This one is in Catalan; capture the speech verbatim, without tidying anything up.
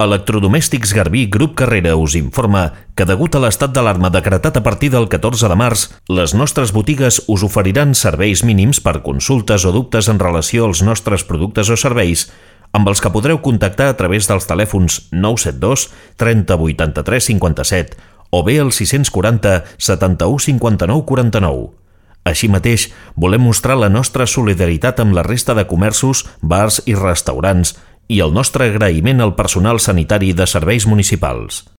Electrodomèstics Garbí Grup Carrera us informa que degut a l'estat d'alarma decretat a partir del catorze de març, les nostres botigues us oferiran serveis mínims per consultes o dubtes en relació als nostres productes o serveis, amb els que podreu contactar a través dels telèfons nou set dos trenta vuitanta-tres cinquanta-set o bé el sis quatre zero setanta-u cinquanta-nou quaranta-nou. Així mateix, volem mostrar la nostra solidaritat amb la resta de comerços, bars i restaurants i el nostre agraïment al personal sanitari de serveis municipals.